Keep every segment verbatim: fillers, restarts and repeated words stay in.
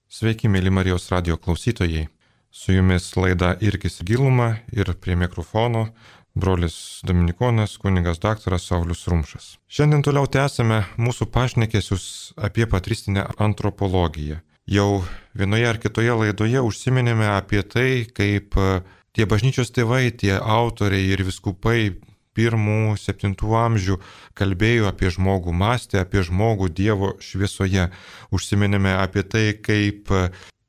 Sveiki, mėly Marijos radio klausytojai. Su jumis laida Irkis giluma ir prie mikrofono brolis Dominikonas, kunigas daktaras Saulius Rumšas. Šiandien toliau tęsime mūsų pašnekesius apie patristinę antropologiją. Jau vienoje ar kitoje laidoje užsiminėme apie tai, kaip tie bažnyčios tėvai, tie autoriai ir vyskupai pirmų, septintų amžių kalbėjo apie žmogų, mąstė apie žmogų Dievo šviesoje. Užsiminėme apie tai, kaip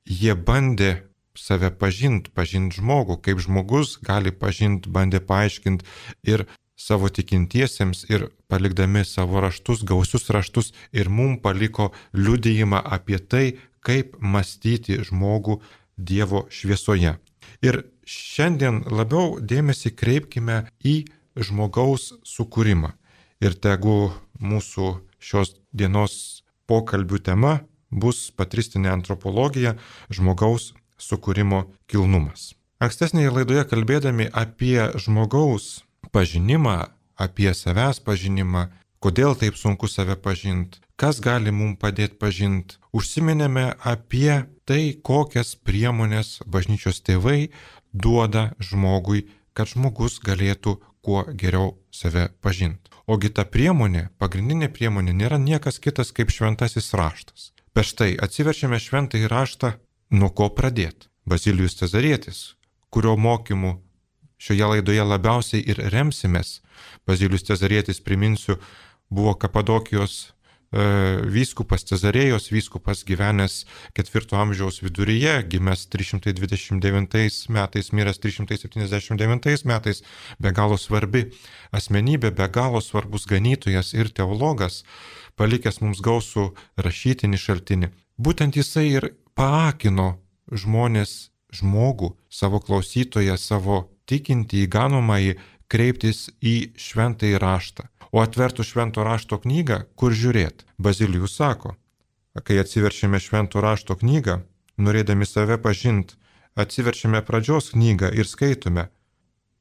jie bandė save pažinti, pažinti žmogų, kaip žmogus gali pažinti, bandė paaiškinti ir savo tikintiesiems ir palikdami savo raštus, gausius raštus ir mum paliko liudijimą apie tai, kaip mąstyti žmogų Dievo šviesoje. Ir šiandien labiau dėmesį kreipkime į žmogaus sukūrimą. Ir tegu mūsų šios dienos pokalbių tema bus patristinė antropologija, žmogaus sukūrimo kilnumas. Ankstesnėje laidoje kalbėdami apie žmogaus pažinimą, apie savęs pažinimą, kodėl taip sunku save pažinti, kas gali mums padėti pažinti, užsiminėme apie tai, kokias priemonės bažnyčios tėvai duoda žmogui, kad žmogus galėtų kuo geriau save pažinti. Ogi ta priemonė, pagrindinė priemonė nėra niekas kitas kaip šventasis raštas. Bet štai atsiverčiame šventąjį raštą, nuo ko pradėti. Bazilijus Cezarietis, kurio mokymu šioje laidoje labiausiai ir remsimės. Bazilijus Cezarietis, priminsiu, buvo Kapadokijos e, vyskupas, Cezarėjos vyskupas, gyvenęs ketvirto amžiaus viduryje, gimęs trys šimtai dvidešimt devintais metais, miręs trys šimtai septyniasdešimt devintais metais, be galo svarbi asmenybė, be galo svarbus ganytojas ir teologas, palikęs mums gausų rašytinį šaltinį. Būtent jisai ir paakino žmonės, žmogų, savo klausytoją, savo tikintį, įganomąjį kreiptis į šventąjį raštą. O atvertų švento rašto knygą, kur žiūrėt? Bazilijus sako, kai atsiverčiame švento rašto knygą, norėdami save pažinti, atsiverčiame pradžios knygą ir skaitome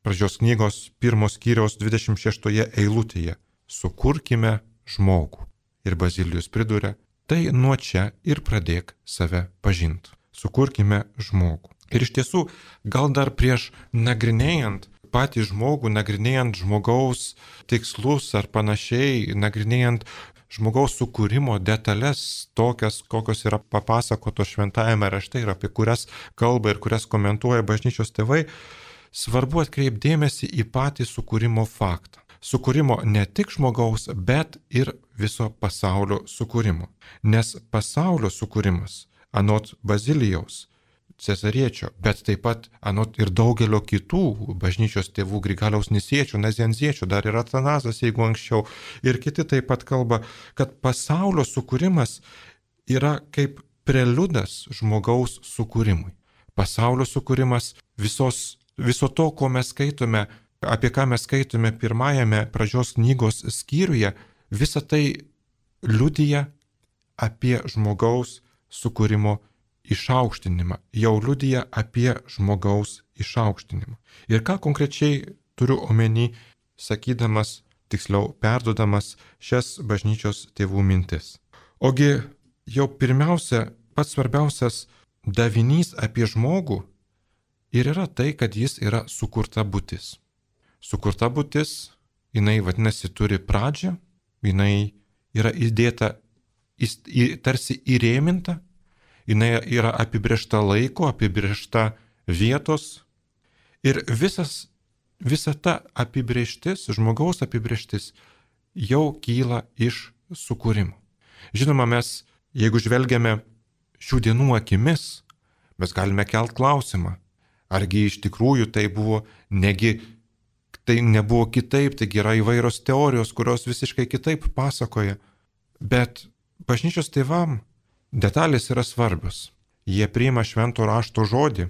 pradžios knygos pirmos skyriaus dvidešimt šeštoje eilutėje. Sukurkime žmogų. Ir Bazilijus priduria, tai nuo čia ir pradėk save pažinti. Sukurkime žmogų. Ir iš tiesų, gal dar prieš nagrinėjant patį žmogų, nagrinėjant žmogaus tikslus ar panašiai, nagrinėjant žmogaus sukūrimo detalės, tokias, kokios yra papasakotos šventajame rašte ir apie kurias kalba ir kurias komentuoja bažnyčios tėvai, svarbu atkreipti dėmesį į patį sukūrimo faktą. Sukūrimo ne tik žmogaus, bet ir viso pasaulio sukūrimo. Nes pasaulio sukūrimas, anot Bazilijaus, Cezariečio, bet taip pat anot ir daugelio kitų bažnyčios tėvų, Grigaliaus Nisiečių, Nazianziečio, dar ir Atanazas, jeigu anksčiau, ir kiti taip pat kalba, kad pasaulio sukūrimas yra kaip preliudas žmogaus sukūrimui. Pasaulio sukūrimas visos, viso to, ko mes skaitome, apie ką mes skaitome pirmajame pradžios knygos skyriuje, visa tai liudija apie žmogaus sukūrimo išaukštinimą, jau liudija apie žmogaus išaukštinimą. Ir ką konkrečiai turiu omeny, sakydamas, tiksliau perduodamas šias bažnyčios tėvų mintis. Ogi jau pirmiausia, pats svarbiausias davinys apie žmogų ir yra tai, kad jis yra sukurta būtis. Sukurta būtis, jinai vadinasi turi pradžią, jinai yra įdėta, tarsi įrėminta, jinai yra apibrėžta laiko, apibrėžta vietos ir visas, visa ta apibrėžtis, žmogaus apibrėžtis jau kyla iš sukūrimo. Žinoma, mes, jeigu žvelgiame šių dienų akimis, mes galime kelt klausimą, argi iš tikrųjų tai buvo, negi tai nebuvo kitaip, taigi yra įvairios teorijos, kurios visiškai kitaip pasakoja, bet bažnyčios tėvam detalės yra svarbios. Jie priima švento rašto žodį,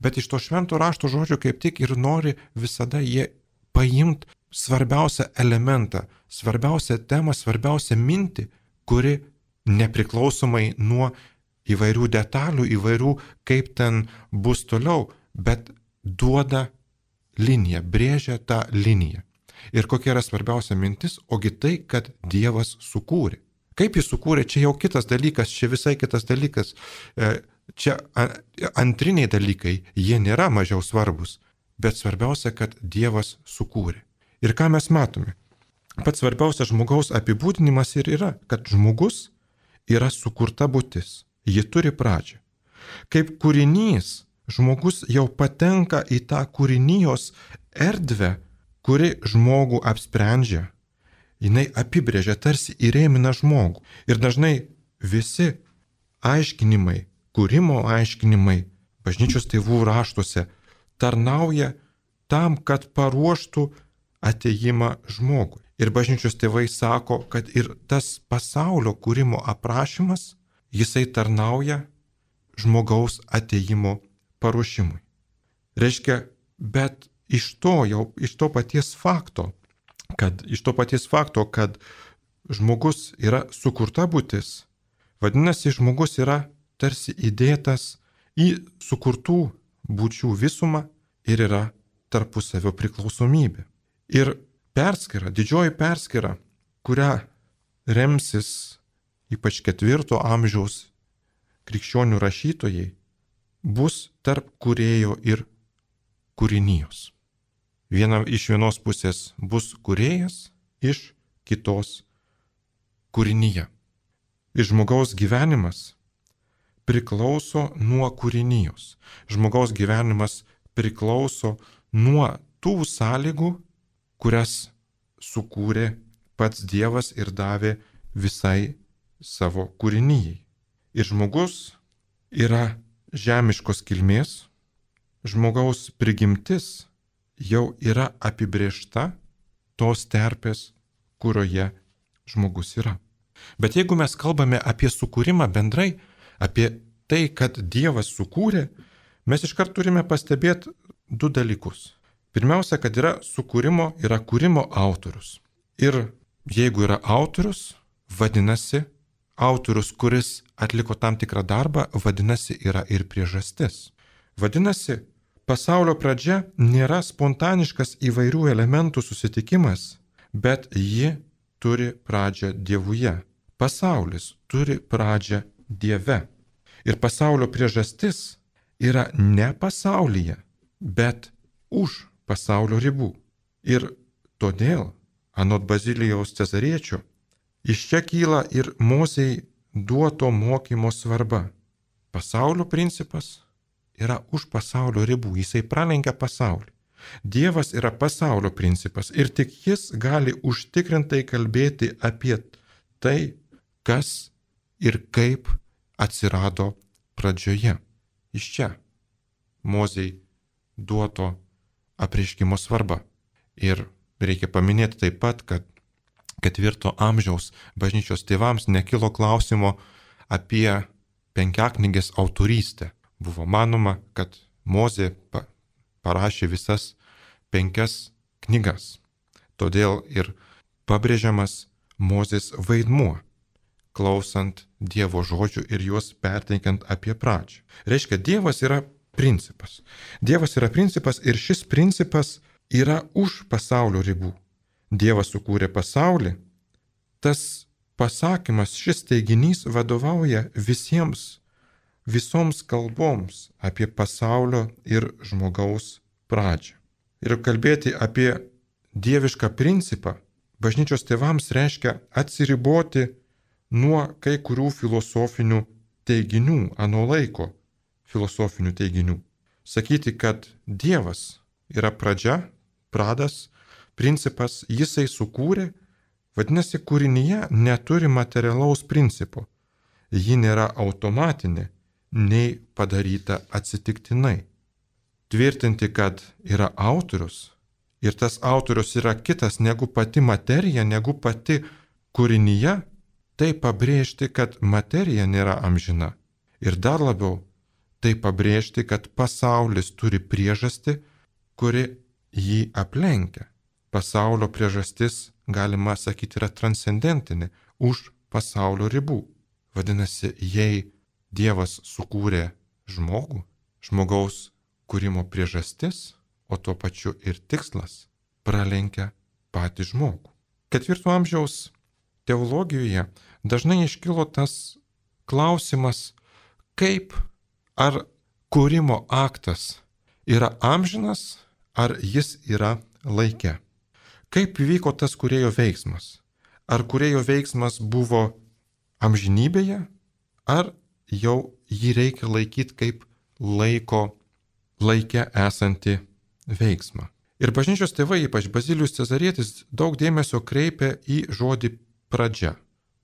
bet iš to švento rašto žodžio kaip tik ir nori visada jie paimti svarbiausią elementą, svarbiausią temą, svarbiausią mintį, kuri nepriklausomai nuo įvairių detalių, įvairių kaip ten bus toliau, bet duoda liniją, brėžia tą liniją. Ir kokia yra svarbiausia mintis, ogi tai, kad Dievas sukūrė. Kaip jis sukūrė, čia jau kitas dalykas, čia visai kitas dalykas. Čia antriniai dalykai, jie nėra mažiau svarbus, bet svarbiausia, kad Dievas sukūrė. Ir ką mes matome? Pats svarbiausias žmogaus apibūdinimas ir yra, kad žmogus yra sukurta būtis, ji turi pradžią. Kaip kūrinys, žmogus jau patenka į tą kūrinijos erdvę, kuri žmogų apsprendžia. Jinai apibrėžia, tarsi įrėmina žmogų. Ir dažnai visi aiškinimai, kūrimo aiškinimai bažnyčios tėvų raštuose tarnauja tam, kad paruoštų atėjimą žmogui. Ir bažnyčios tėvai sako, kad ir tas pasaulio kūrimo aprašymas, jisai tarnauja žmogaus atėjimo paruošimui. Reiškia, bet iš to jau, iš to paties fakto, kad iš to paties fakto, kad žmogus yra sukurta būtis, vadinasi, žmogus yra tarsi įdėtas į sukurtų būčių visumą ir yra tarpusavio priklausomybė. Ir perskyra, didžioji perskyra, kurią remsis ypač ketvirto amžiaus krikščionių rašytojai, bus tarp kūrėjo ir kūrinijos. Viena, iš vienos pusės bus kūrėjas, iš kitos kūrinyje. Ir žmogaus gyvenimas priklauso nuo kūrinijos. Žmogaus gyvenimas priklauso nuo tų sąlygų, kurias sukūrė pats Dievas ir davė visai savo kūrinyjai. Ir žmogus yra žemiškos kilmės, žmogaus prigimtis jau yra apibrėžta tos terpės, kurioje žmogus yra. Bet jeigu mes kalbame apie sukūrimą bendrai, apie tai, kad Dievas sukūrė, mes iškart turime pastebėti du dalykus. Pirmiausia, kad yra sukūrimo, yra kūrimo autorius. Ir jeigu yra autorius, vadinasi, autorius, kuris atliko tam tikrą darbą, vadinasi, yra ir priežastis. Vadinasi, pasaulio pradžia nėra spontaniškas įvairių elementų susitikimas, bet ji turi pradžią Dievuje. Pasaulis turi pradžią Dieve. Ir pasaulio priežastis yra ne pasaulyje, bet už pasaulio ribų. Ir todėl, anot Bazilijaus Cezariečio, iš čia kyla ir Mozei duoto mokymo svarba. Pasaulio principas yra už pasaulio ribų, jisai pralenkia pasaulį. Dievas yra pasaulio principas ir tik jis gali užtikrintai kalbėti apie tai, kas ir kaip atsirado pradžioje. Iš čia Mozei duoto apreiškimo svarba. Ir reikia paminėti taip pat, kad ketvirto amžiaus bažnyčios tėvams nekilo klausimo apie penkiaknygės autorystę. Buvo manoma, kad Mozė parašė visas penkias knygas. Todėl ir pabrėžiamas Mozės vaidmuo, klausant Dievo žodžių ir juos perteikiant apie pradžią. Reiškia, Dievas yra principas. Dievas yra principas ir šis principas yra už pasaulio ribų. Dievas sukūrė pasaulį. Tas pasakymas, šis teiginys vadovauja visiems visoms kalboms apie pasaulio ir žmogaus pradžią. Ir kalbėti apie dievišką principą bažnyčios tėvams reiškia atsiriboti nuo kai kurių filosofinių teiginių, ano laiko filosofinių teiginių. Sakyti, kad Dievas yra pradžia, pradas, principas, jisai sukūrė, vadinasi, kūrinyje neturi materialaus principo. Ji nėra automatinė, nei padaryta atsitiktinai. Tvirtinti, kad yra autorius ir tas autorius yra kitas negu pati materija, negu pati kūrinyje, tai pabrėžti, kad materija nėra amžina. Ir dar labiau, tai pabrėžti, kad pasaulis turi priežastį, kuri jį aplenkia. Pasaulio priežastis, galima sakyti, yra transcendentinė, už pasaulio ribų. Vadinasi, jei Dievas sukūrė žmogų, žmogaus kūrimo priežastis, o tuo pačiu ir tikslas, pralenkia patį žmogų. Ketvirto amžiaus teologijoje dažnai iškilo tas klausimas, kaip ar kūrimo aktas yra amžinas, ar jis yra laike. Kaip vyko tas kūrėjo veiksmas? Ar kūrėjo veiksmas buvo amžinybėje, ar jau jį reikia laikyti kaip laiko, laike esantį veiksmą. Ir bažnyčios tėvai, ypač Bazilijus Cezarietis, daug dėmesio kreipia į žodį pradžia.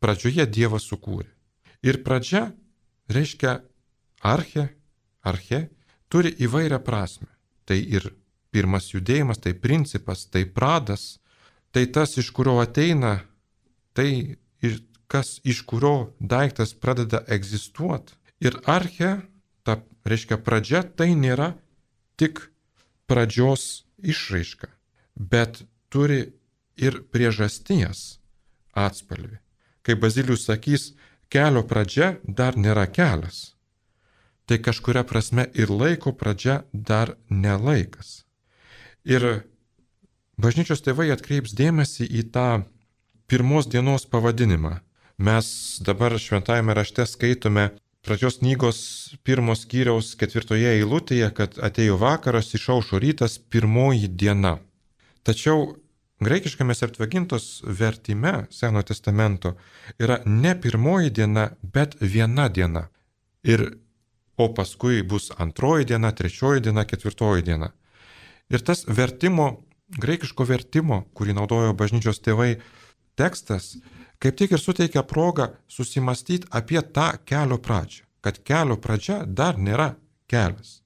Pradžioje Dievas sukūrė. Ir pradžia reiškia arche, arche, turi įvairią prasme. Tai ir pirmas judėjimas, tai principas, tai pradas, tai tas, iš kurio ateina, tai ir kas iš kurio daiktas pradeda egzistuoti. Ir arche, ta reiškia pradžia, tai nėra tik pradžios išraiška, bet turi ir priežasties atspalvį. Kai Bazilijus sakys, kelio pradžia dar nėra kelias, tai kažkuria prasme ir laiko pradžia dar nelaikas. Ir bažnyčios tėvai atkreips dėmesį į tą pirmos dienos pavadinimą. Mes dabar šventajame rašte skaitome pradžios knygos pirmos skyriaus ketvirtoje eilutėje, kad atėjo vakaras, išaušo rytas, pirmoji diena. Tačiau graikiškame Septuagintos vertime Senojo testamento yra ne pirmoji diena, bet viena diena. Ir, o paskui bus antroji diena, trečioji diena, ketvirtoji diena. Ir tas vertimo, graikiško vertimo, kurį naudojo bažnyčios tėvai, tekstas kaip tik ir suteikia progą susimastyti apie tą kelio pradžią, kad kelio pradžia dar nėra kelias.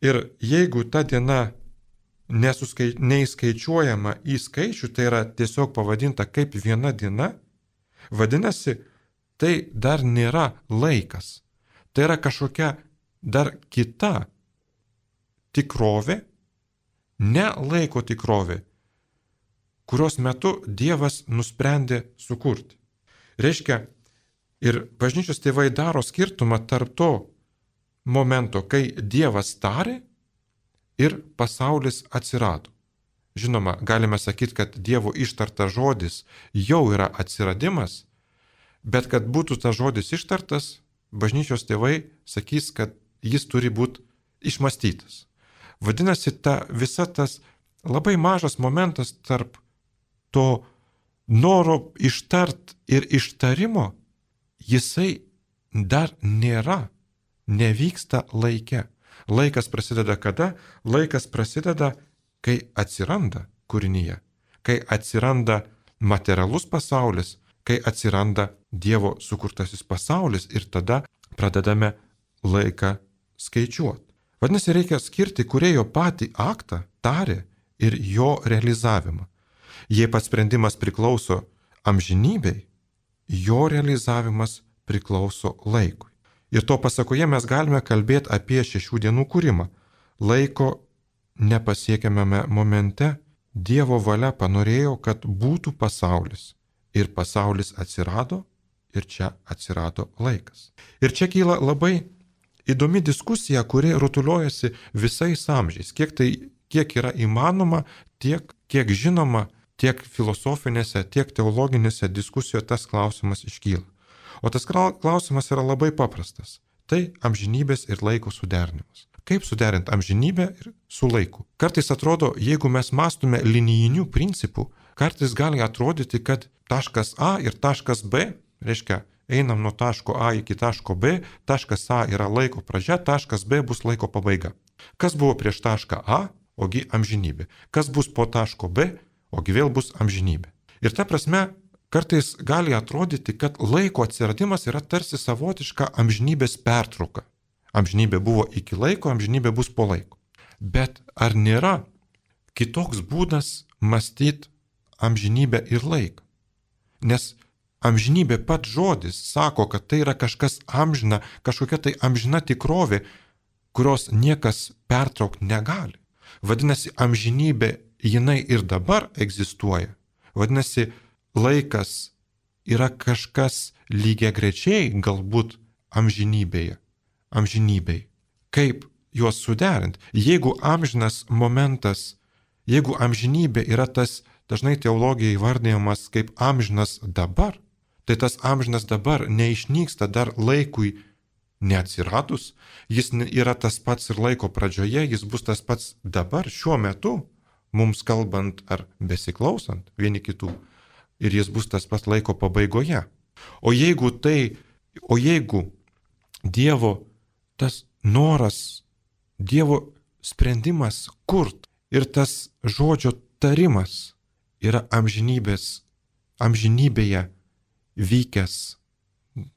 Ir jeigu ta diena nesuskai, neįskaičiuojama į skaičių, tai yra tiesiog pavadinta kaip viena diena, vadinasi, tai dar nėra laikas. Tai yra kažkokia dar kita tikrovė, ne laiko tikrovė, kurios metu Dievas nusprendė sukurti. Reiškia, ir bažnyčios tėvai daro skirtumą tarp to momento, kai Dievas tarė ir pasaulis atsirado. Žinoma, galime sakyti, kad Dievo ištartas žodis jau yra atsiradimas, bet kad būtų tas žodis ištartas, bažnyčios tėvai sakys, kad jis turi būti išmastytas. Vadinasi, ta visa tas labai mažas momentas tarp to noro ištart ir ištarimo, jisai dar nėra, nevyksta laike. Laikas prasideda kada? Laikas prasideda, kai atsiranda kūrinyje, kai atsiranda materialus pasaulis, kai atsiranda Dievo sukurtasis pasaulis ir tada pradedame laiką skaičiuoti. Vadinasi, reikia skirti kūrėjo patį aktą, tarė ir jo realizavimą. Jei pats sprendimas priklauso amžinybei, jo realizavimas priklauso laikui. Ir to pasakoje mes galime kalbėti apie šešių dienų kūrimą. Laiko nepasiekiamame momente Dievo valia panorėjo, kad būtų pasaulis. Ir pasaulis atsirado, ir čia atsirado laikas. Ir čia kyla labai įdomi diskusija, kuri rutuliojasi visais amžiais. Kiek tai, kiek yra įmanoma, tiek, kiek žinoma, tiek filosofinėse, tiek teologinėse diskusijose tas klausimas iškyla. O tas klausimas yra labai paprastas. Tai amžinybės ir laiko suderinimas. Kaip suderinti amžinybę ir su laiku? Kartais atrodo, jeigu mes mąstume linijinių principų, kartais gali atrodyti, kad taškas A ir taškas B, reiškia, einam nuo taško A iki taško B, taškas A yra laiko pradžia, taškas B bus laiko pabaiga. Kas buvo prieš tašką A, ogi amžinybė. Kas bus po taško B, ogi vėl bus amžinybė. Ir ta prasme, kartais gali atrodyti, kad laiko atsiradimas yra tarsi savotiška amžinybės pertrauka. Amžinybė buvo iki laiko, amžinybė bus po laiko. Bet ar nėra kitoks būdas mąstyti amžinybę ir laiką? Nes amžinybė pats žodis sako, kad tai yra kažkas amžina, kažkokia tai amžina tikrovė, kurios niekas pertraukti negali. Vadinasi, amžinybė jinai ir dabar egzistuoja. Vadinasi, laikas yra kažkas lygiagrečiai galbūt amžinybėje. Amžinybei. Kaip juos suderinti? Jeigu amžinas momentas, jeigu amžinybė yra tas dažnai teologija įvardyjamas kaip amžinas dabar, Tai tas amžinas dabar neišnyksta dar laikui neatsiradus, jis yra tas pats ir laiko pradžioje, jis bus tas pats dabar, šiuo metu, mums kalbant ar besiklausant vieni kitų, ir jis bus tas pats laiko pabaigoje. O jeigu tai, o jeigu Dievo tas noras, Dievo sprendimas kurt ir tas žodžio tarimas yra amžinybės, amžinybėje vykęs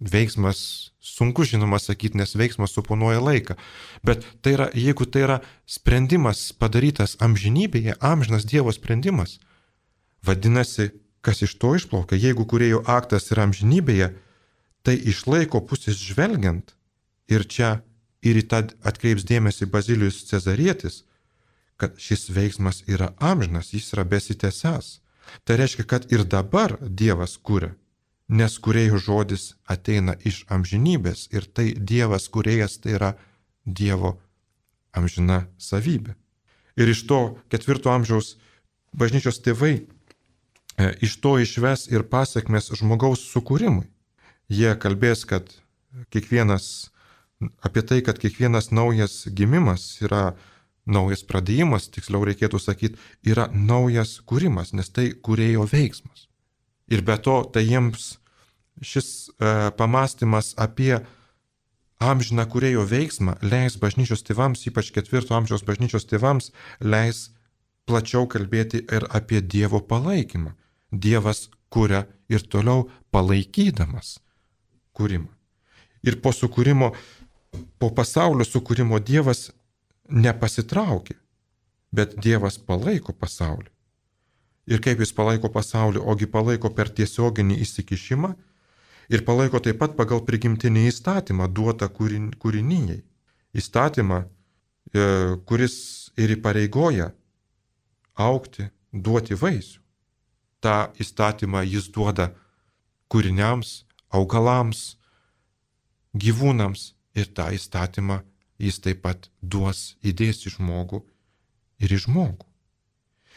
veiksmas, sunku žinoma sakyti, nes veiksmas suponuoja laiką, bet tai yra, jeigu tai yra sprendimas padarytas amžinybėje, amžinas Dievo sprendimas, vadinasi, kas iš to išplaukia, jeigu kūrėjo aktas yra amžinybėje, tai iš laiko pusės žvelgiant, ir čia ir į tą atkreips dėmesį Bazilijus Cezarietis, kad šis veiksmas yra amžinas, jis yra besitęsęs. Tai reiškia, kad ir dabar Dievas kūrė, nes kūrėjo žodis ateina iš amžinybės ir tai Dievas kūrėjas, tai yra Dievo amžina savybė. Ir iš to ketvirto amžiaus bažnyčios tėvai e, iš to išves ir pasiekmes žmogaus sukūrimui. Jie kalbės, kad kiekvienas, apie tai, kad kiekvienas naujas gimimas yra naujas pradėjimas, tiksliau reikėtų sakyti, yra naujas kūrimas, nes tai kūrėjo veiksmas. Ir be to, tai jiems šis e, pamastymas apie amžiną kūrėjo veiksmą leis bažnyčios tėvams, ypač ketvirto amžiaus bažnyčios tėvams, leis plačiau kalbėti ir apie Dievo palaikymą. Dievas kuria ir toliau palaikydamas kūrimą. Ir po sukūrimo, po pasaulio sukūrimo Dievas nepasitraukė, bet Dievas palaiko pasaulį. Ir kaip jis palaiko pasaulį, ogi palaiko per tiesioginį įsikišimą ir palaiko taip pat pagal prigimtinį įstatymą duotą kūrinijai. Įstatymą, kuris ir įpareigoja augti, duoti vaisių. Ta įstatymą jis duoda kūriniams, augalams, gyvūnams ir tą įstatymą jis taip pat duos, įdės į žmogų ir į žmogų.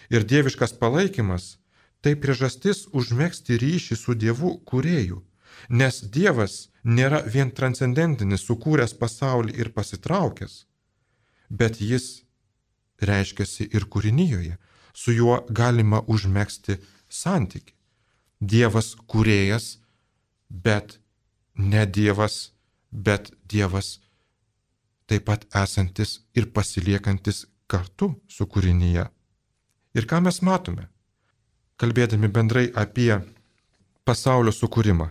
Ir dieviškas palaikymas tai priežastis užmegzti ryšį su Dievu kūrėju, nes Dievas nėra vien transcendentinis, sukūręs pasaulį ir pasitraukęs, bet jis reiškiasi ir kūrinijoje, su juo galima užmegzti santykį. Dievas kūrėjas, bet ne Dievas, bet Dievas taip pat esantis ir pasiliekantis kartu su kūrinyje. Ir ką mes matome, kalbėdami bendrai apie pasaulio sukūrimą?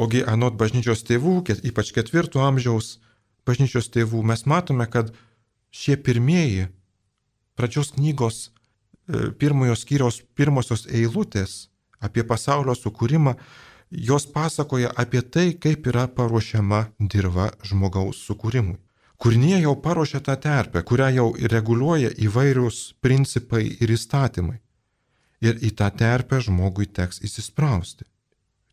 Ogi anot bažnyčios tėvų, ypač ketvirto amžiaus bažnyčios tėvų, mes matome, kad šie pirmieji pradžios knygos pirmojo skyriaus pirmosios eilutės apie pasaulio sukūrimą, jos pasakoja apie tai, kaip yra paruošiama dirva žmogaus sukūrimui. Kūrinyje jau paruošia tą terpę, kurią jau reguliuoja įvairius principai ir įstatymai. Ir į tą terpę žmogui teks įsisprausti.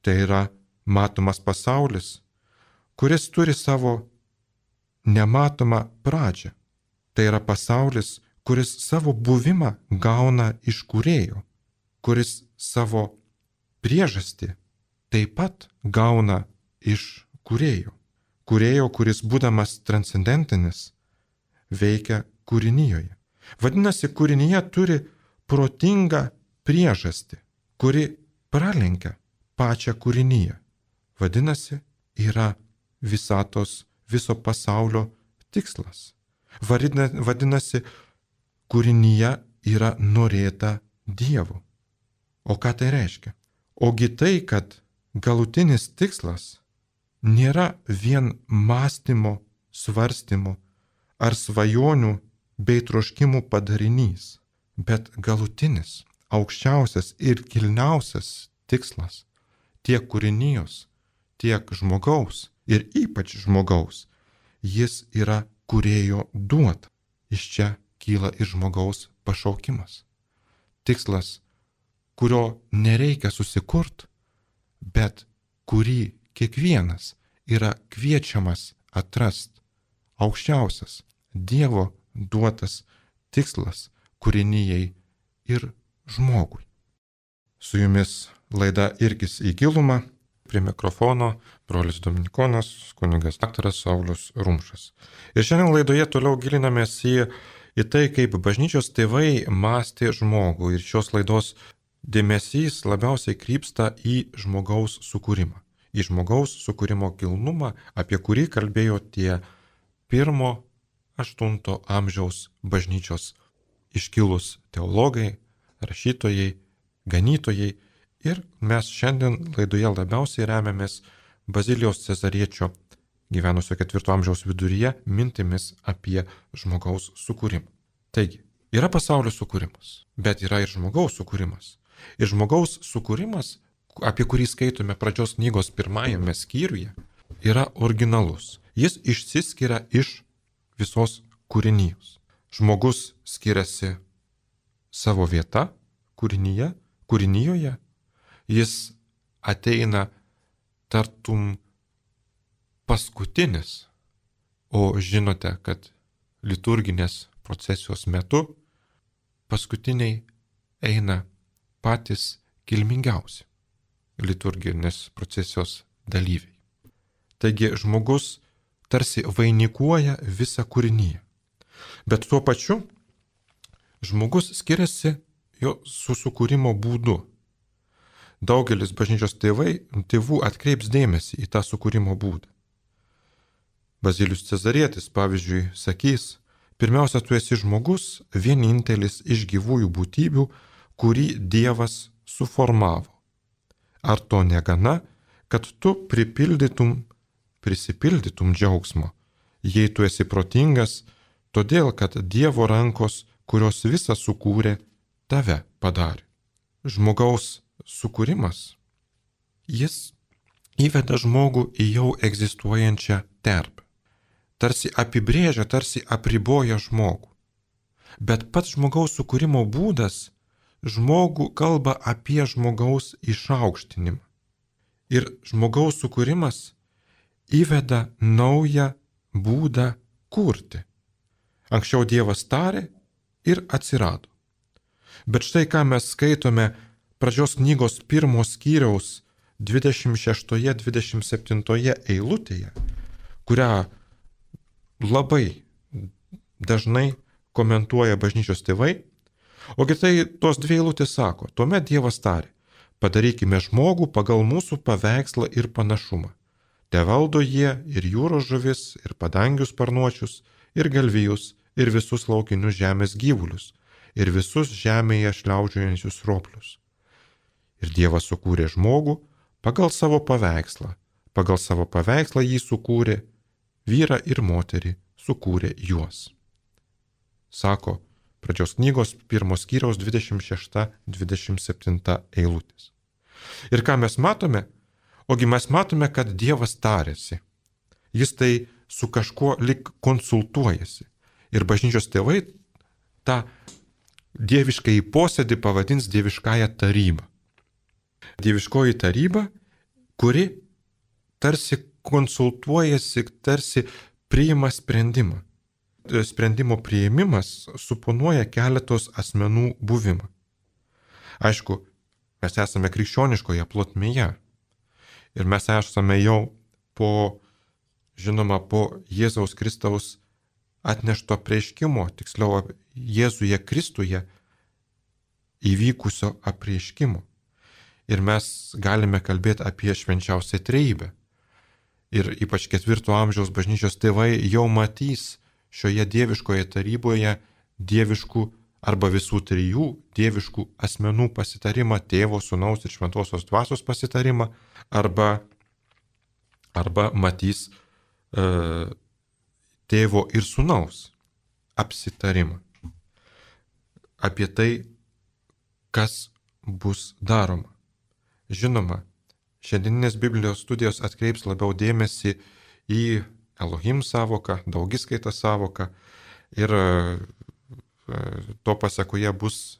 Tai yra matomas pasaulis, kuris turi savo nematomą pradžią. Tai yra pasaulis, kuris savo buvimą gauna iš kūrėjo, kuris savo priežastį taip pat gauna iš kūrėjo. Kūrėjo, kuris būdamas transcendentinis, veikia kūrinijoje. Vadinasi, kūrinyje turi protingą priežastį, kuri pralenkia pačią kūrinyje. Vadinasi, yra visatos, viso pasaulio tikslas. Vadinasi, kūrinyje yra norėta Dievo. O ką tai reiškia? Ogi tai, kad galutinis tikslas nėra vien mąstymo, svarstymo ar svajonių bei troškimų padarinys, bet galutinis, aukščiausias ir kilniausias tikslas tiek kūrinijos, tiek žmogaus ir ypač žmogaus, jis yra kūrėjo duota. Iš čia kyla ir žmogaus pašaukimas. Tikslas, kurio nereikia susikurt, bet kurį kiekvienas yra kviečiamas atrast. Aukščiausias Dievo duotas tikslas kūrinijai ir žmogui. Su jumis laida Irkis į gilumą. Prie mikrofono brolis Dominikonas, kunigas daktaras Saulius Rumšas. Ir šiandien laidoje toliau gilinamės į, į tai, kaip bažnyčios tėvai mąstė žmogų. Ir šios laidos dėmesys labiausiai krypsta į žmogaus sukūrimą. Į žmogaus sukūrimo kilnumą, apie kurį kalbėjo tie pirmo aštunto amžiaus bažnyčios iškilus teologai, rašytojai, ganytojai. Ir mes šiandien laidoje labiausiai remiamės Bazilijos Cezariečio, gyvenusio ketvirto amžiaus viduryje, mintimis apie žmogaus sukūrimą. Taigi, yra pasaulio sukūrimas, bet yra ir žmogaus sukūrimas. Ir žmogaus sukūrimas, apie kurį skaitome pradžios knygos pirmajame skyriuje, yra originalus. Jis išsiskiria iš visos kūrinijos. Žmogus skiriasi savo vieta kūrinyje, kūrinijoje. Jis ateina tartum paskutinis, o žinote, kad liturginės procesijos metu paskutiniai eina patys kilmingiausi liturginės procesijos dalyviai. Taigi žmogus tarsi vainikuoja visą kūrinyje, bet tuo pačiu žmogus skiriasi jo susikūrimo būdu. Daugelis bažnyčios tėvai, tėvų atkreips dėmesį į tą sukūrimo būdą. Bazilijus Cezarietis, pavyzdžiui, sakys, pirmiausia, tu esi žmogus, vienintelis iš gyvųjų būtybių, kurį Dievas suformavo. Ar to negana, kad tu pripildytum, prisipildytum džiaugsmo, jei tu esi protingas, todėl, kad Dievo rankos, kurios visą sukūrė, tave padarė. Žmogaus sukūrimas, jis įveda žmogų į jau egzistuojančią terpę. Tarsi apibrėžia, tarsi apriboja žmogų. Bet pats žmogaus sukūrimo būdas žmogų kalba apie žmogaus išaukštinimą. Ir žmogaus sukūrimas įveda naują būdą kurti. Anksčiau Dievas tarė ir atsirado. Bet štai ką mes skaitome pradžios knygos pirmos skyriaus dvidešimt šeštoje dvidešimt septintoje eilutėje, kurią labai dažnai komentuoja bažnyčios tėvai, ogi tai tos dvi eilutės sako, tuomet Dievas tarė, padarykime žmogų pagal mūsų paveikslą ir panašumą. Te valdo jie ir jūros žuvis, ir padangių sparnuočius, ir galvijus, ir visus laukinius žemės gyvulius, ir visus žemėje šliaužiojančius roplius. Ir Dievas sukūrė žmogų pagal savo paveikslą. Pagal savo paveikslą jį sukūrė, vyrą ir moterį sukūrė juos. Sako pradžios knygos pirmos skyriaus dvidešimt šešta dvidešimt septinta eilutės. Ir ką mes matome? Ogi mes matome, kad Dievas tarėsi. Jis tai su kažkuo lik konsultuojasi. Ir bažnyčios tėvai tą dieviškąjį posėdį pavadins dieviškąją tarybą. Dieviškoji taryba, kuri tarsi konsultuojasi, tarsi priima sprendimą. Sprendimo priėmimas suponuoja keletos asmenų buvimą. Aišku, mes esame krikščioniškoje plotmėje ir mes esame jau po, žinoma, po Jėzaus Kristaus atnešto apreiškimo, tiksliau Jėzuje Kristuje įvykusio apreiškimo. Ir mes galime kalbėti apie švenčiausią trejybę. Ir ypač ketvirto amžiaus bažnyčios tėvai jau matys šioje dieviškoje taryboje dieviškų arba visų trijų dieviškų asmenų pasitarimą, tėvo, sūnaus ir šventosios dvasios pasitarimą, arba, arba matys e, tėvo ir sūnaus apsitarimą apie tai, kas bus daroma. Žinoma, šiandieninės Biblijos studijos atkreips labiau dėmesį į Elohim sąvoką, daugiskaitą sąvoką ir to pasekoje bus,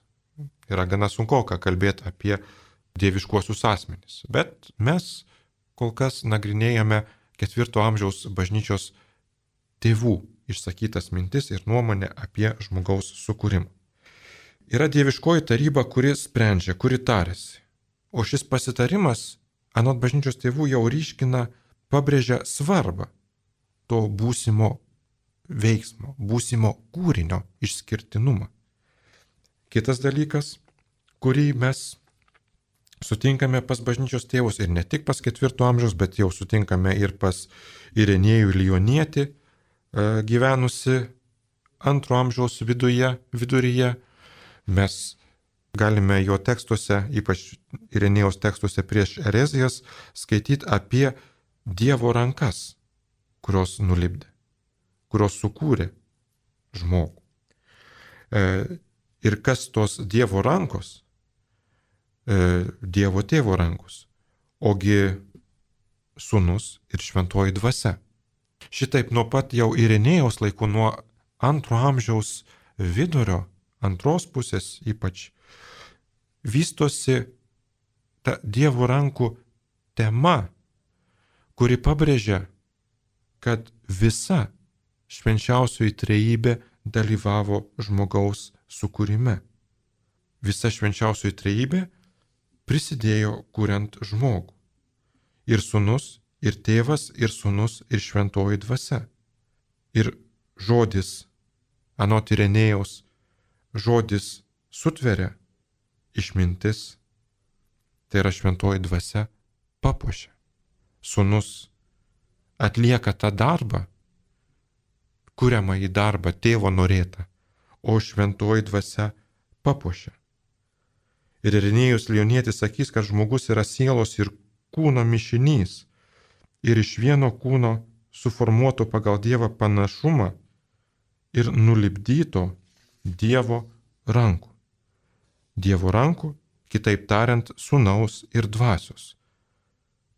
yra gana sunkoka kalbėti apie dieviškuosius asmenis. Bet mes kol kas nagrinėjame ketvirto amžiaus bažnyčios tėvų išsakytas mintis ir nuomonę apie žmogaus sukūrimą. Yra dieviškoji taryba, kuri sprendžia, kuri tarėsi. O šis pasitarimas anot bažnyčios tėvų jau ryškina, pabrėžia svarbą to būsimo veiksmo, būsimo kūrinio išskirtinumą. Kitas dalykas, kurį mes sutinkame pas bažnyčios tėvus ir ne tik pas ketvirto amžiaus, bet jau sutinkame ir pas Irenėjų Lionietį, gyvenusi antro amžiaus viduje, viduryje. Mes galime jo tekstuose, ypač Irenėjaus tekstuose prieš erezijas, skaityti apie Dievo rankas, kurios nulipdė, kurios sukūrė žmogų. Ir kas tos Dievo rankos? Dievo tėvo rankos, ogi sūnus ir šventoji dvasia. Šitaip nuo pat jau Irenėjaus laikų, nuo antro amžiaus vidurio, antros pusės ypač, vystosi ta Dievo rankų tema, kuri pabrėžia, kad visa švenčiausioji trejybė dalyvavo žmogaus sukūrime. Visa švenčiausioji trejybė prisidėjo kuriant žmogų. Ir sūnus, ir tėvas, ir sūnus, ir šventoji dvasia. Ir žodis, anot Irenėjaus, žodis sutveria, išmintis, tai yra šventoji dvasia, papuošia. Sūnus atlieka tą darbą, kuriamą į darbą tėvo norėtą, o šventoji dvasia papuošia. Ir Irenėjus Lionietis sakys, kad žmogus yra sielos ir kūno mišinys ir iš vieno kūno suformuoto pagal Dievą panašumą ir nulipdyto Dievo rankų. Dievo rankų, kitaip tariant, sūnaus ir dvasios,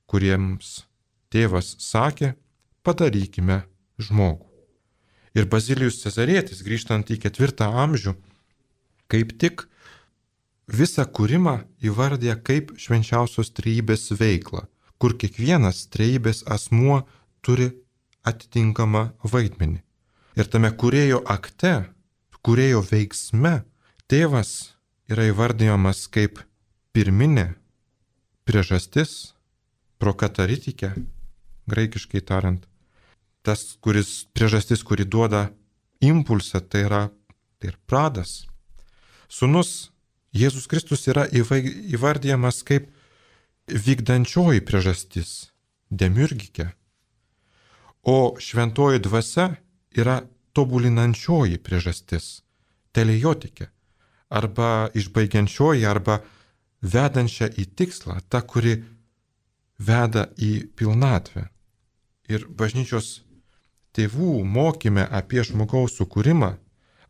kuriems tėvas sakė, padarykime žmogų. Ir Bazilijus Cezarietis, grįžtant į ketvirtą amžių, kaip tik visą kūrimą įvardė kaip švenčiausios trejybės veiklą, kur kiekvienas trejybės asmuo turi atitinkamą vaidmenį. Ir tame kūrėjo akte, kūrėjo veiksme, tėvas yra įvardyjamas kaip pirminė priežastis, prokataritikė, graikiškai tariant. Tas, kuris priežastis, kuri duoda impulsą, tai yra tai ir pradas. Sūnus Jėzus Kristus yra įvardyjamas kaip vykdančioji priežastis, demiurgikė, o šventoji dvasia yra tobulinančioji priežastis, telejotikė, arba išbaigiančioji, arba vedančia į tikslą, ta, kuri veda į pilnatvę. Ir bažnyčios tėvų mokyme apie žmogaus sukūrimą,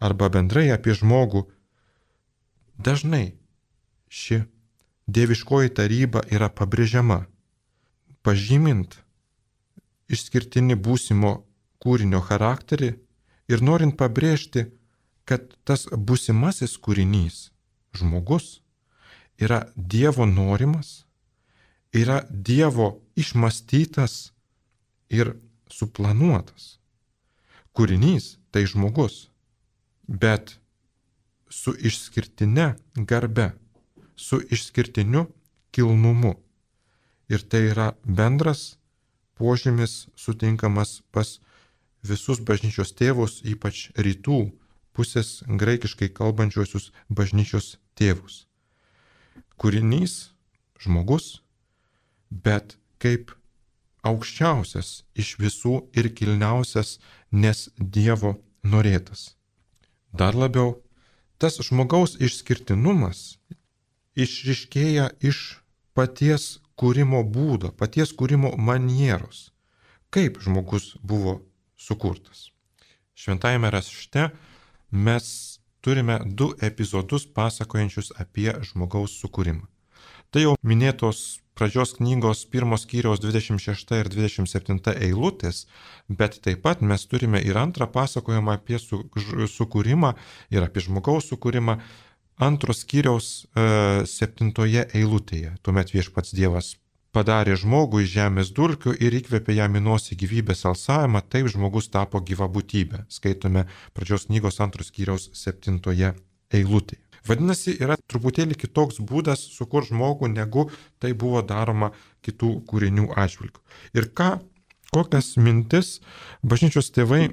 arba bendrai apie žmogų, dažnai ši dieviškoji taryba yra pabrėžiama, pažymint išskirtinį būsimo kūrinio charakterį ir norint pabrėžti, kad tas būsimasis kūrinys, žmogus, yra Dievo norimas, yra Dievo išmąstytas ir suplanuotas. Kūrinys tai žmogus, bet su išskirtine garbe, su išskirtiniu kilnumu. Ir tai yra bendras požymis sutinkamas pas visus bažnyčios tėvus, ypač rytų pusės graikiškai kalbančiosius bažnyčios tėvus. Kūrinys, žmogus, bet kaip aukščiausias iš visų ir kilniausias, nes Dievo norėtas. Dar labiau, tas žmogaus išskirtinumas išryškėja iš paties kūrimo būdo, paties kūrimo manieros, kaip žmogus buvo sukurtas. Šventajame rašte mes turime du epizodus pasakojančius apie žmogaus sukūrimą. Tai jau minėtos pradžios knygos pirmos skyriaus dvidešimt šešta ir dvidešimt septinta eilutės, bet taip pat mes turime ir antrą pasakojimą apie su, ž, sukūrimą ir apie žmogaus sukūrimą antros skyriaus e, septintoje eilutėje. Tuomet viešpats Dievas padarė žmogų iš žemės dulkių ir įkvėpė jam į nosį gyvybės alsavimą, taip žmogus tapo gyva būtybė. Skaitome pradžios knygos antros skyriaus septintoje eilutėje. Vadinasi, yra truputėlį kitoks būdas sukurti žmogų, negu tai buvo daroma kitų kūrinių atžvilgių. Ir ką, kokias mintis bažnyčios tėvai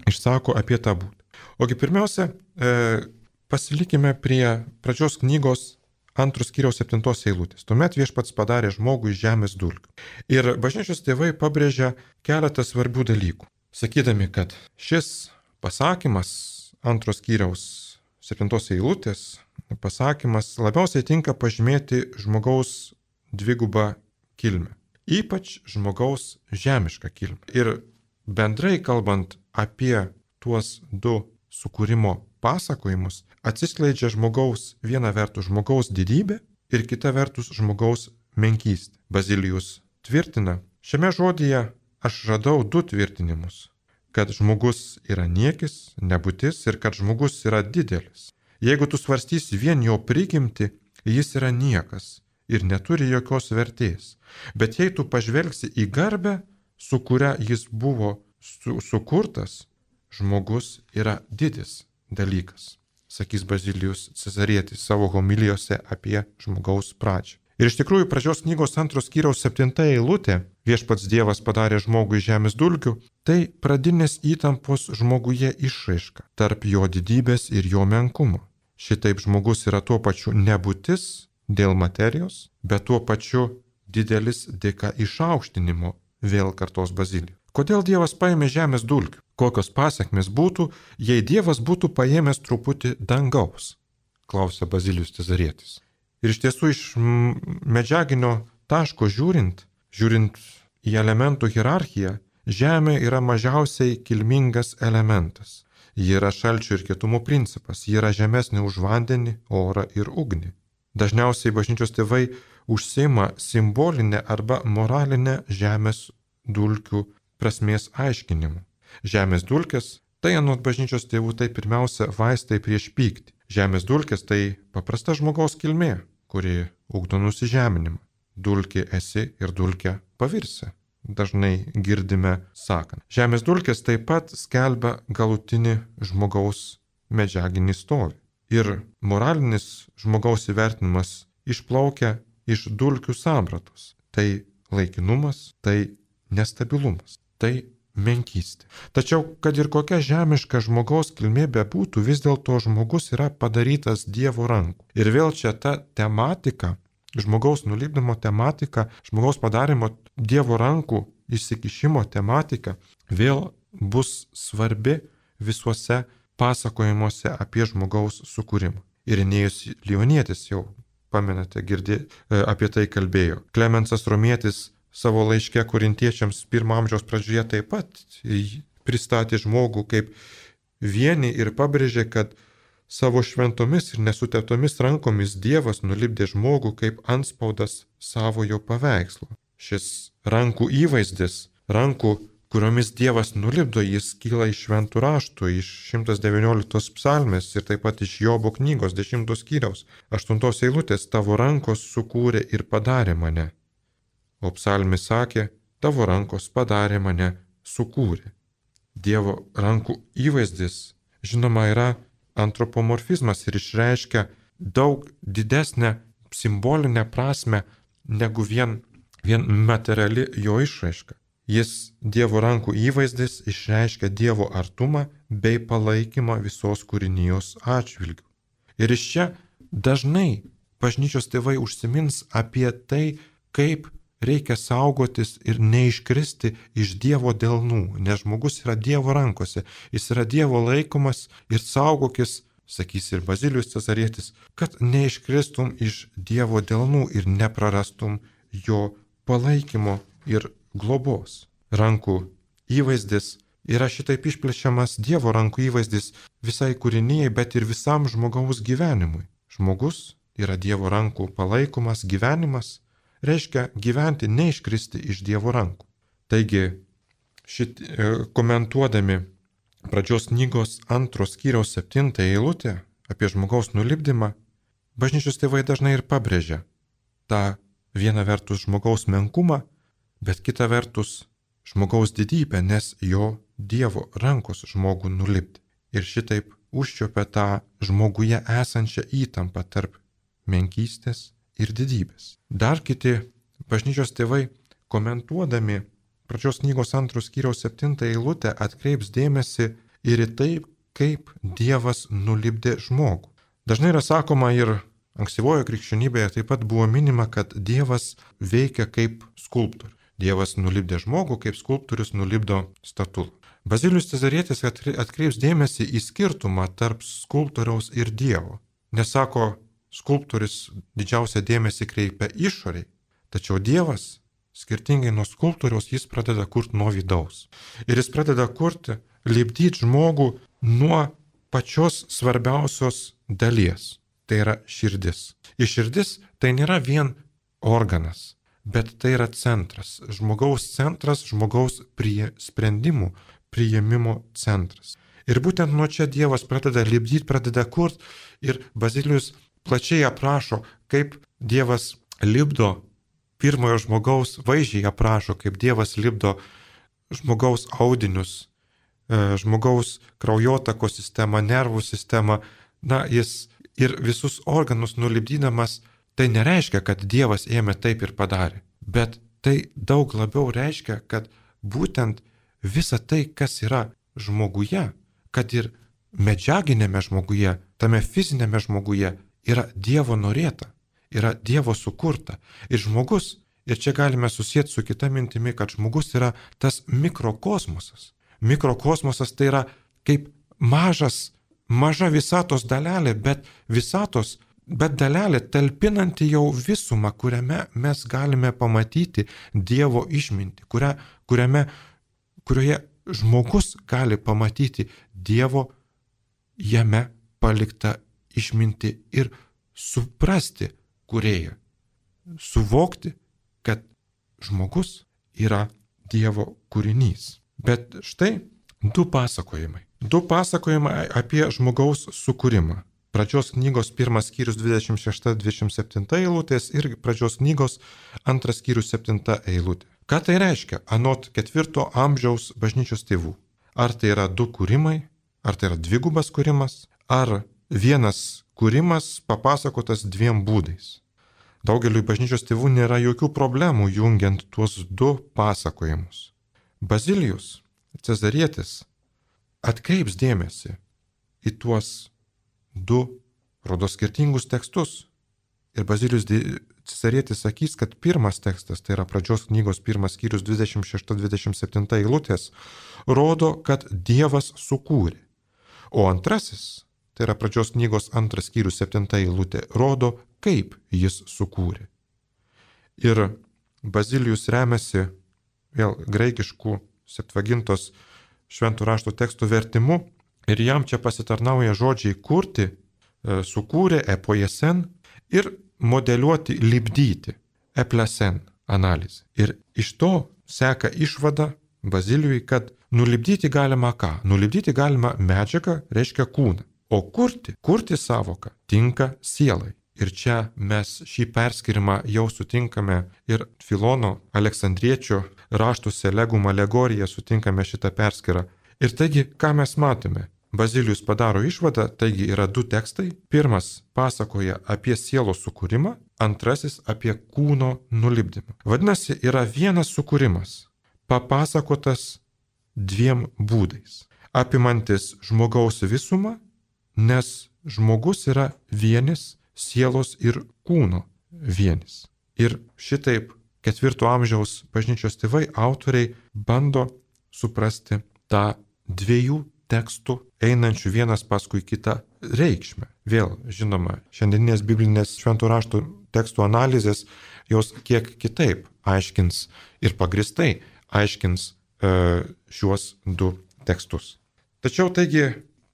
išsako apie tą būdą. Ogi pirmiausia, e, pasilikime prie pradžios knygos antros skyriaus septintos eilutės. Tuomet viešpats padarė žmogų iš žemės dulkių. Ir bažnyčios tėvai pabrėžia keletą svarbių dalykų, sakydami, kad šis pasakymas antros skyriaus septintos eilutės pasakymas labiausiai tinka pažymėti žmogaus dvigubą kilmę, ypač žmogaus žemišką kilmę. Ir bendrai kalbant apie tuos du sukūrimo pasakojimus, atsiskleidžia žmogaus viena vertus žmogaus didybė ir kita vertus žmogaus menkystė. Bazilijus tvirtina, šiame žodyje aš radau du tvirtinimus, kad žmogus yra niekis, nebūtis ir kad žmogus yra didelis. Jeigu tu svarstysi vien jo prigimtį, jis yra niekas ir neturi jokios vertės. Bet jei tu pažvelgsi į garbę, su kuria jis buvo su, sukurtas, žmogus yra didis dalykas, sakys Bazilijus Cezarietis savo homilijose apie žmogaus pradžią. Ir iš tikrųjų pradžios knygos antros skyriaus septinta eilutė, viešpats Dievas padarė žmogų iš žemės dulkių, tai pradinės įtampos žmoguje išraiška tarp jo didybės ir jo menkumo. Šitaip žmogus yra tuo pačiu nebūtis dėl materijos, bet tuo pačiu didelis dėka išaukštinimo, vėl kartos Bazilijus. Kodėl Dievas paėmė žemės dulkių? Kokios pasekmės būtų, jei Dievas būtų paėmęs truputį dangaus? Klausia Bazilijus Cezarietis. Ir iš tiesų iš medžiaginio taško žiūrint, žiūrint į elementų hierarchiją, žemė yra mažiausiai kilmingas elementas. Ji yra šalčio ir kietumo principas, ji yra žemesnė už vandenį, orą ir ugnį. Dažniausiai bažnyčios tėvai užsiima simbolinę arba moralinę žemės dulkių prasmės aiškinimu. Žemės dulkės, tai anot bažnyčios tėvų, tai pirmiausia vaistai prieš pyktį. Žemės dulkės tai paprasta žmogaus kilmė, kuri ugdo nusižeminimą. Dulkė esi ir dulkė pavirsi. Dažnai girdime sakant. Žemės dulkės taip pat skelbia galutinį žmogaus medžiaginį stovį. Ir moralinis žmogaus įvertinimas išplaukia iš dulkių sampratos. Tai laikinumas, tai nestabilumas, tai menkystė. Tačiau, kad ir kokia žemiška žmogaus kilmė bebūtų, vis dėlto žmogus yra padarytas Dievo rankų. Ir vėl čia ta tematika, žmogaus nulipdymo tematika, žmogaus padarimo Dievo rankų įsikišimo tematika vėl bus svarbi visuose pasakojimuose apie žmogaus sukūrimą. Irenėjus Lionietis jau, pamenate, girdė, apie tai kalbėjo. Klemensas Romietis savo laiške korintiečiams pirmo amžiaus pradžioje taip pat pristatė žmogų kaip vienį ir pabrėžė, kad savo šventomis ir nesuteptomis rankomis Dievas nulipdė žmogų kaip antspaudas savojo paveikslo. Šis rankų įvaizdis, rankų, kuriomis Dievas nulipdo, jis kyla iš šventų raštų, iš šimtas devynioliktos psalmės ir taip pat iš Jobo knygos dešimtos skyriaus aštuntos eilutės: tavo rankos sukūrė ir padarė mane. O psalmis sakė, tavo rankos padarė mane, sukūrė. Dievo rankų įvaizdis, žinoma, yra antropomorfizmas ir išreiškia daug didesnę simbolinę prasme negu vien, vien materiali jo išraiška. Jis, Dievo rankų įvaizdis, išreiškia Dievo artumą bei palaikymą visos kūrinijos atžvilgių. Ir iš čia dažnai bažnyčios tėvai užsimins apie tai, kaip reikia saugotis ir neiškristi iš Dievo delnų, nes žmogus yra Dievo rankose, jis yra Dievo laikomas ir saugokis, sakys ir Bazilijus Cezarietis, kad neiškristum iš Dievo delnų ir neprarastum jo palaikymo ir globos. Rankų įvaizdis yra šitaip išplečiamas Dievo rankų įvaizdis visai kūrinijai, bet ir visam žmogaus gyvenimui. Žmogus yra Dievo rankų palaikomas gyvenimas, reiškia gyventi, neiškristi iš Dievo rankų. Taigi, šit, komentuodami pradžios knygos antros skyriaus septintą eilutę apie žmogaus nulipdymą, bažnyčios tėvai dažnai ir pabrėžia tą viena vertus žmogaus menkumą, bet kita vertus žmogaus didybę, nes jo Dievo rankos žmogų nulipdė. Ir šitaip užčiuopia tą žmoguje esančią įtampą tarp menkystės ir didybės. Dar kiti bažnyčios tėvai, komentuodami pradžios knygos antros skyriaus septintą eilutę, atkreips dėmesį ir į tai, kaip Dievas nulipdė žmogų. Dažnai yra sakoma ir ankstyvojo krikščionybėje taip pat buvo minima, kad Dievas veikia kaip skulptorius. Dievas nulipdė žmogų, kaip skulptorius nulipdo statulą. Bazilijus Cezarietis atkreips dėmesį į skirtumą tarp skulptoriaus ir Dievo. Nesako, skulptorius didžiausią dėmesį kreipia išoriai, tačiau Dievas, skirtingai nuo skulptoriaus, jis pradeda kurti nuo vidaus. Ir jis pradeda kurti, lipdyti žmogų nuo pačios svarbiausios dalies. Tai yra širdis. Ir širdis tai nėra vien organas, bet tai yra centras. Žmogaus centras, žmogaus prie sprendimų, priėmimo centras. Ir būtent nuo čia Dievas pradeda lipdyti, pradeda kurti ir Bazilijus plačiai aprašo, kaip Dievas lipdo pirmojo žmogaus, vaizdžiai aprašo, kaip Dievas lipdo žmogaus audinius, žmogaus kraujotakos sistemą, nervų sistemą. Na, jis ir visus organus nulipdydamas, tai nereiškia, kad Dievas ėmė taip ir padarė, bet tai daug labiau reiškia, kad būtent visa tai, kas yra žmoguje, kad ir medžiaginėme žmoguje, tame fizinėme žmoguje, yra Dievo norėta, yra Dievo sukurta. Ir žmogus, ir čia galime susijęti su kita mintimi, kad žmogus yra tas mikrokosmosas. Mikrokosmosas tai yra kaip mažas, maža visatos dalelė, bet visatos, bet dalelė talpinanti jau visumą, kuriame mes galime pamatyti Dievo išmintį, kuria, kuriame, kurioje žmogus gali pamatyti Dievo jame paliktą išmintį ir suprasti kūrėją, suvokti, kad žmogus yra Dievo kūrinys. Bet štai du pasakojimai. Du pasakojimai apie žmogaus sukūrimą. Pradžios knygos pirmas skyrius dvidešimt šešta dvidešimt septinta eilutės ir pradžios knygos antras skyrius septinta eilutė. Ką tai reiškia anot ketvirto amžiaus bažnyčios tėvų? Ar tai yra du kūrimai, ar tai yra dvigubas kūrimas, ar vienas kūrimas papasakotas dviem būdais? Daugeliui bažnyčios tėvų nėra jokių problemų jungiant tuos du pasakojimus. Bazilijus Cezarietis atkreips dėmesį į tuos du, rodo, skirtingus tekstus. Ir Bazilijus Cezarietis sakys, kad pirmas tekstas, tai yra pradžios knygos pirmas skyrius dvidešimt šešta dvidešimt septinta eilutės, rodo, kad Dievas sukūrė. O antrasis, tai yra pradžios knygos antras skyrius septinta eilutė, rodo, kaip jis sukūrė. Ir Bazilijus remiasi vėl graikiškų Septvagintos šventų rašto tekstų vertimu ir jam čia pasitarnauja žodžiai kurti, sukūrė, epoiesen ir modeliuoti, lipdyti, eplesen analizė. Ir iš to seka išvada Bazilijui, kad nulipdyti galima ką? Nulipdyti galima medžiagą, reiškia kūną. O kurti, kurti savoką tinka sielai. Ir čia mes šį perskirimą jau sutinkame ir Filono Aleksandriečio raštuose Legum alegorija sutinkame šitą perskirą. Ir taigi, ką mes matome? Bazilijus padaro išvadą, taigi yra du tekstai. Pirmas pasakoja apie sielos sukūrimą, antrasis apie kūno nulipdymą. Vadinasi, yra vienas sukūrimas, papasakotas dviem būdais, apimantis žmogaus visumą, nes žmogus yra vienis, sielos ir kūno vienis. Ir šitaip ketvirto amžiaus bažnyčios tėvai, autoriai bando suprasti tą dviejų tekstų einančių vienas paskui kitą reikšmę. Vėl, žinoma, šiandieninės biblinės šventų raštų tekstų analizės jos kiek kitaip aiškins ir pagristai aiškins e, šiuos du tekstus. Tačiau taigi,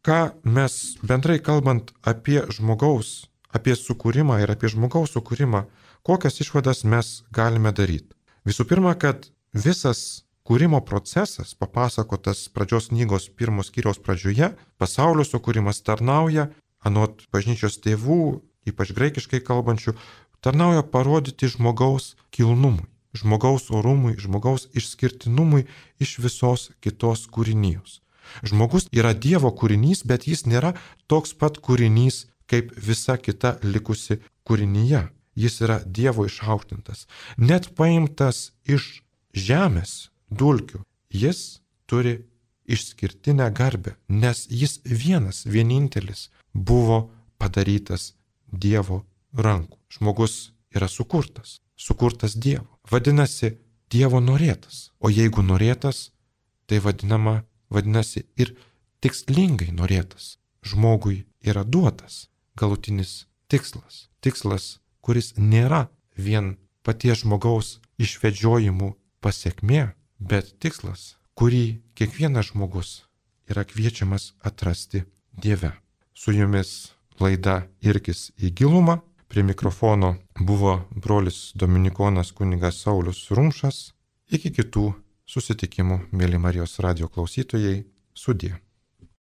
ką mes bendrai kalbant apie žmogaus, apie sukūrimą ir apie žmogaus sukūrimą, kokias išvadas mes galime daryti? Visų pirma, kad visas kūrimo procesas, papasakotas pradžios knygos pirmos skyriaus pradžioje, pasaulio sukūrimas tarnauja, anot bažnyčios tėvų, ypač graikiškai kalbančių, tarnauja parodyti žmogaus kilnumui, žmogaus orumui, žmogaus išskirtinumui iš visos kitos kūrinijos. Žmogus yra Dievo kūrinys, bet jis nėra toks pat kūrinys kaip visa kita likusi kūrinyje. Jis yra Dievo išaukštintas. Net paimtas iš žemės dulkių, jis turi išskirtinę garbę, nes jis vienas, vienintelis buvo padarytas Dievo rankų. Žmogus yra sukurtas, sukurtas Dievo. Vadinasi, Dievo norėtas. O jeigu norėtas, tai vadinama, vadinasi ir tikslingai norėtas. Žmogui yra duotas galutinis tikslas. Tikslas, kuris nėra vien paties žmogaus išvedžiojimų pasiekmė, bet tikslas, kurį kiekvienas žmogus yra kviečiamas atrasti Dieve. Su jumis laida Irkis į gilumą. Prie mikrofono buvo brolis dominikonas kunigas Saulius Rumšas. Iki kitų susitikimų, mėly Marijos radijo klausytojai, sudie.